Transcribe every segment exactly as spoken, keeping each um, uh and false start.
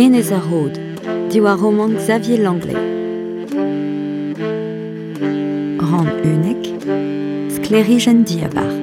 Enez ar Rod, diwar romant Xavier Langlais. Rann unnek, sklêrijenn diabarzh.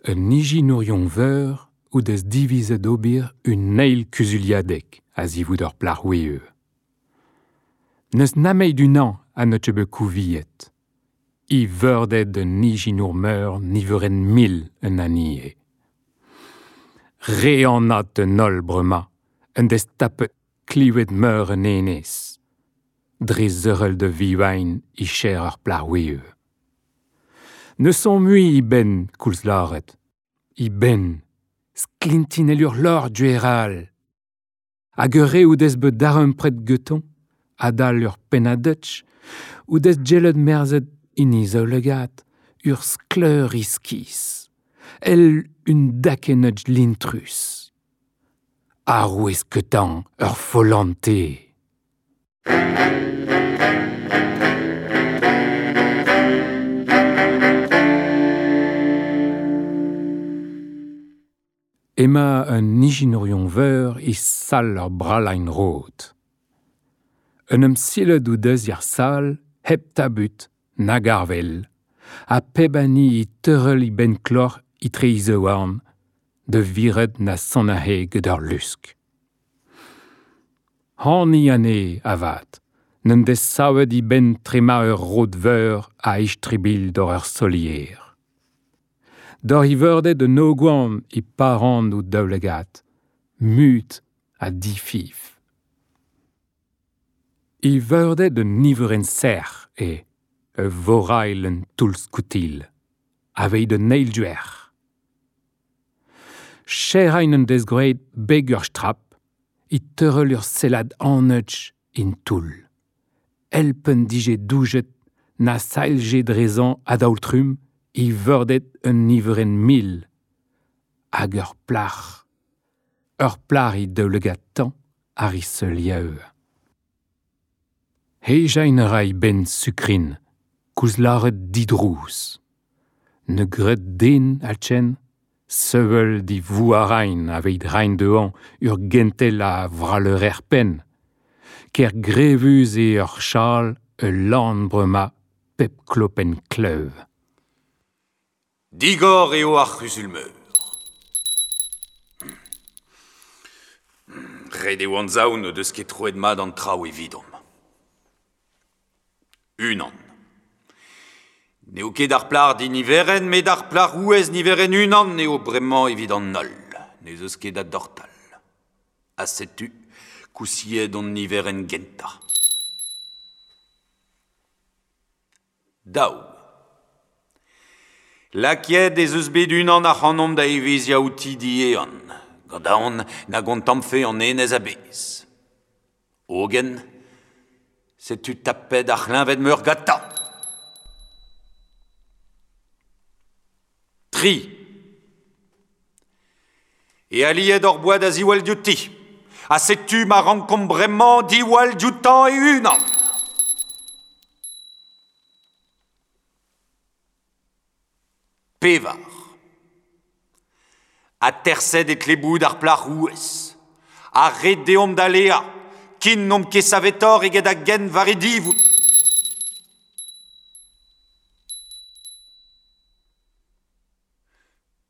Un ijinourion veur o deus divizet ober un eil kuzuliadeg a-zivout ur plac'h ouezh. N'eus nemet unan ha n'eus ket bet kouviet. E veurded un ijinour meur niverenn mil un anezhe. Re anat un holl bremañ, en deus tapet klevet meur un enez. Dre zeurel da vivain e cher ur plac'h ouezh. Ne sont mui e benn, koulz lâret. E benn, sklintin el ur lor dueral. Hag ur re o deus bet darempred gantañ, adal ur pennad-dutch, o deus gellet merzet en e zaoulagad ur skleur iskis, el un dakennad lintrus. Arouez ketañ ur follentez. Ema un ijinourion veur e sal ur bralain rod. Un em silet o deus er sal, hep tabut, nag arvel, ha pep hini e teurel e benn kloc'h etre e zaouarn, da viret na sonnahe gant ur lusk. Hani anezhe, avat, n'en deus savet e benn trema ur rod veur a istribilh d'hor ur solier. D'hor e veurded un ogwan e paran o daoulagad, mut ha difif. E veurded un niverenn serc'h eo, ur vorail un toull-skoutilh, aveit un eil duerc'h. Cherrain en deus graet beg ur strap, e teurel ur sellad anetch en toull. Elpen dije doujet na sailje drezañ a-daol-trumm e veurded un niverenn mil. Hag ur plac'h. Ur plac'h he daoulagad tañ ar e seuliañ. Hejañ a ra e benn sukrin, koulz lâret didrouz. Ne gred den, alchen, sevel di vouarain aveit reiñ dezhañ ur gentel a vralleur penn. Ker grevus eo ur chal ul lann bremañ pep klopenn klev. Digor eo ar c'huzul-meur. Ret eo anzav n'o deus ket troet mat an traoù evidomp. Unan. N'eo ket ar plac'h diniverenn, met ar plac'h ouez niverenn unan eo bremañ evit an holl. N'ez eus ket da dortal. Ha setu kousiet hon niverenn gentañ. Daou. Lakaet ez eus bet unan ac'hanomp da evezhiañ outi diehan, gant aon na gontammfe an enez a-bezh. Hogen, setu tapet ar c'hleñved meur gantañ. Tri. E aliet hor boa da ziwall diouti. Ha setu ma rankomp bremañ diwall dioutañ e-unan. Pevar. Aterset e tle bout ar plac'h ouez. Ha ret deomp da leañ, ken n'omp ket savetoc'h eget a-gent war e divout.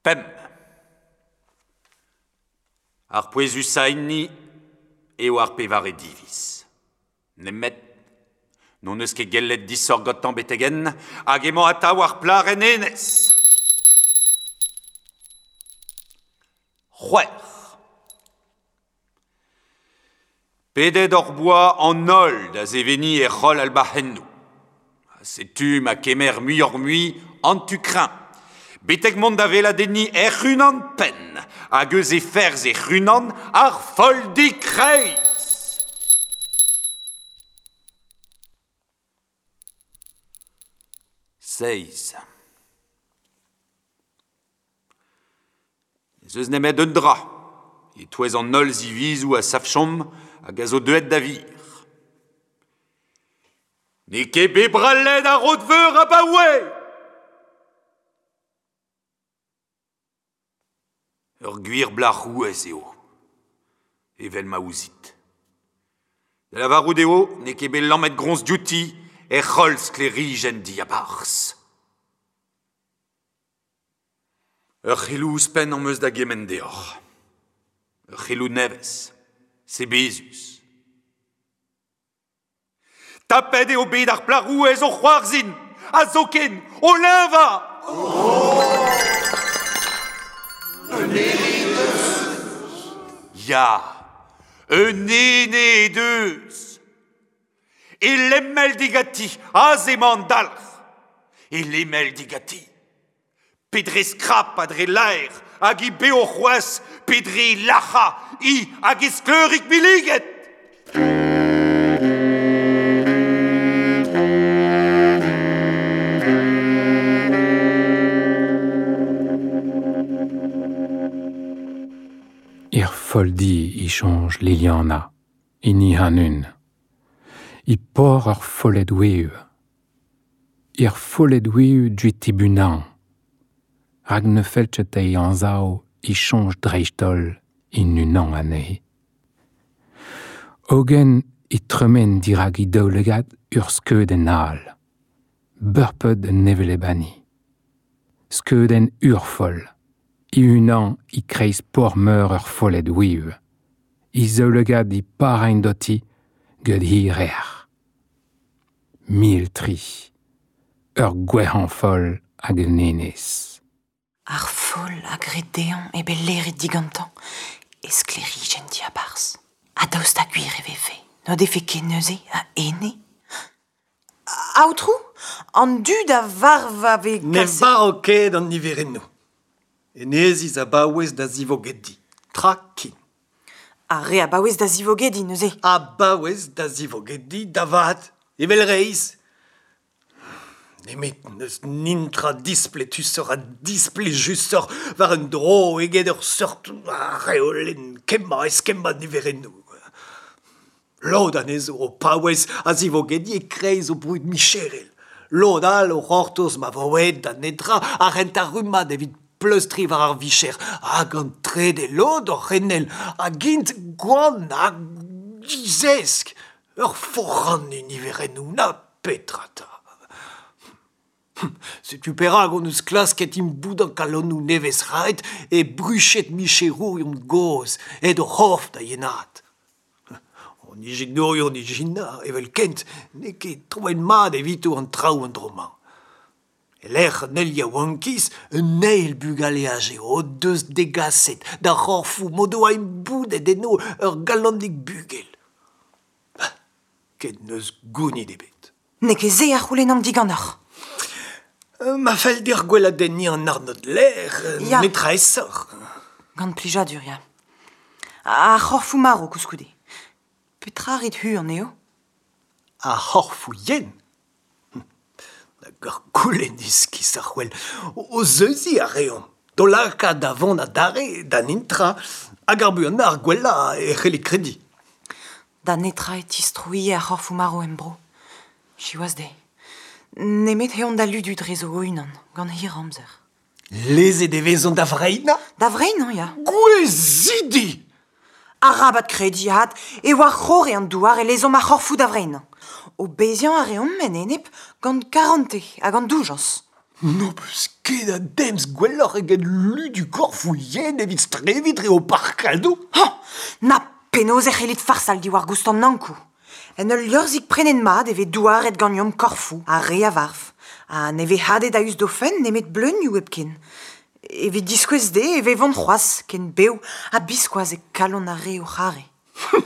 Pemp. Ar pouezusañ enni eo ar pevare diviz. Nemet n'hon eus ket gellet disoc'h gantañ betek-henn hag emañ atav ar plac'h en enez. C'hwec'h. Pedet hor boa an holl da seveniñ e c'holl albac'hennoù. Setu ma kemer muioc'h-mui an tu kreñv. Betek mont da veladenni hec'h-unan penn, hag eus e ferzh hec'h-unan ar foldi kreiz. Seizh. Ez eus nemet un dra, e-touez an holl zivizoù a savchomp hag a zo deuet da vir. N'eo ket bet brallet ar rod-veur abaoe! Ur gwir blac'h rouez eo, evel ma ouzit. Da lavarout eo n'eo ket bet lammet groñs diouti hec'h holl sklêrijenn diabarzh. Ur c'heloù ouzhpenn am eus da gemenn deoc'h. Ur c'heloù nevez, sebezus. Tapet eo bet ar plac'h rouez o c'hoarzhin, ha zoken o leñvañ. Oh Un ene he deus. Ya, un ene he deus. E lemmel digati, aze emañ an dalc'h. E lemmel digati. Pe dre skrap ha dre laer, hag he bev c'hoazh, pe dre lac'hañ, hi hag he skleurig milliget. Ir foldi e soñj Liliana, hini an-un. I por ur follet oueu. Ir follet oueu duet tibunañ. Rak ne fell ket dezhi anzav e soñj dreist-holl en unan anezhe. Hogen e tremen dirak he daoulagad ur skeudenn all. Beurped un hevelep-hini. Skeudenn urfoll. E-unan e-kreiz por-meur ur follet oueu. He zaoulagad e paraint doti gant he rec'h. Mil tri. Ur gwerc'hañ foll hag un enez. Ar foll a gred dezhañ eo bet laeret digantañ e sklêrijenn diabarzh. Ha daoust ha gwir e vefe, n'o defe ket neuze a ene. Aotrou, an dud a varv a vez Ne kaset... varv ket an niverennoù. Eneziz a baouez da zivogediñ. Tra ken. Ar re a baouez da zivogediñ neuze. A baouez da zivogediñ da vat, evel reizh. Nemet n'eus nintra displetusoc'h ha displejusoc'h war un dro eget ur seurt reolenn kemmañ eskemmañ niverennoù. Lod anezho o paouez a zivogediñ e-kreiz o brud micherel. Lod all o c'hortoz ma vo aet da netra ar rentañ rummad evit pleustriñ war ar vicher hag an trede lod o c'henel hag int gwan hag dizesk. Ur foranniñ niverennoù na petra 'ta. Setu perak hon eus klasket imboudañ kalonoù nevez-c'hraet e bruched micherourion gozh aet o c'horf da yenaat. An ijinourion ijinañ evelkent n'eo ket troet mat evito an traoù an dro-mañ. E-lec'h an eil yaouankiz, un eil bugaleaj eo o deus degaset d'ar c'horfoù m'o doa imboudet enno ur galonig bugel. Ket n'eus gounid ebet. N'eo ket se a c'houlennan diganeoc'h. Ma fell deoc'h gweladenniñ an arnodlec'h, Ya. netra aesoc'h. Gant plijadur, ya. Ar c'horfoù marv koulskoude. Petra rit-hu anezho? Ar c'horfoù yen. Nag ur goulenn iskis ar c'hwel. O zeuziñ a reomp. D'o lakaat da vont adarre da nintra hag ar buanañ ar gwellañ e c'hellit krediñ. Da netra e tistrouilhe ar c'horfoù marv em bro. Siwazh dezhe. Nemet eont da ludu drezo o-unan, gant hir amzer. Lezet e vezont da vreinañ? Da vreinañ, ya. Gouezidi! Arabat krediñ avat e war c'horre an douar e lezomp ar c'horfoù da vreinañ. O beziañ a reomp en enep gant karante ha gant doujañs. N'ho peus ket a demz gwelloc'h eget ludu korfoù yen evit streviñ dre ho parkadoù? Ha! Na penaos e c'hellit farsal diwar goust an Ankou. En ul liorzhig prenet mat e vez douaret ganeomp korfoù ar re a varv. Ha ne vez hadet a-us d'o fenn nemet bleunioù hepken. Evit diskouez dezhe e vevont c'hoazh ken bev ha biskoazh e kalon ar re o c'hare.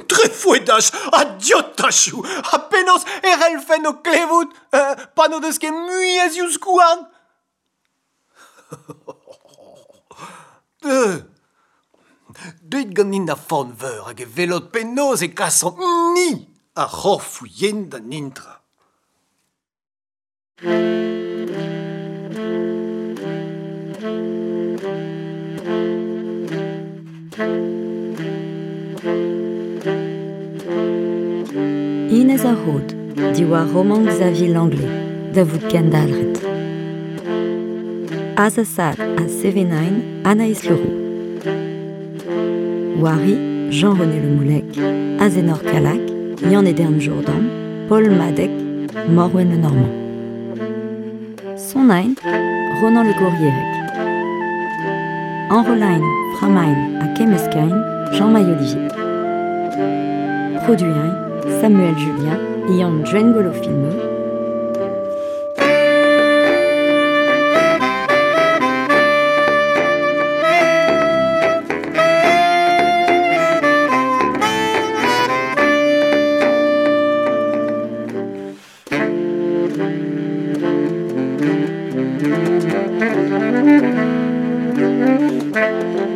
Trefoedaj ha diotachoù ha penaos e c'hellfen o klevout euh, pa n'o deus ket mui a zivskouarn. Deu Deuit ganin da forn-veur hag e welot penaos e kasomp ni ar c'horfoù yen da nintra. Inez ar Rod, diwar romant Xavier Langlais, da vout kendalc'het. Azasad ha Sevenain, Anaïs Leroux. Wari, Jean-René Le Moulec, Azenor Calac, Yann-Edern Jourdan, Paul Madec, Morwen Le Normand. Sonain, Ronan Le Gourrierec. Enrolain, Framain ha Kemmeskain, Jean-Maï Olivier. Produain, Samuel Julien, Yann Djengolo Filmeux. Thank you.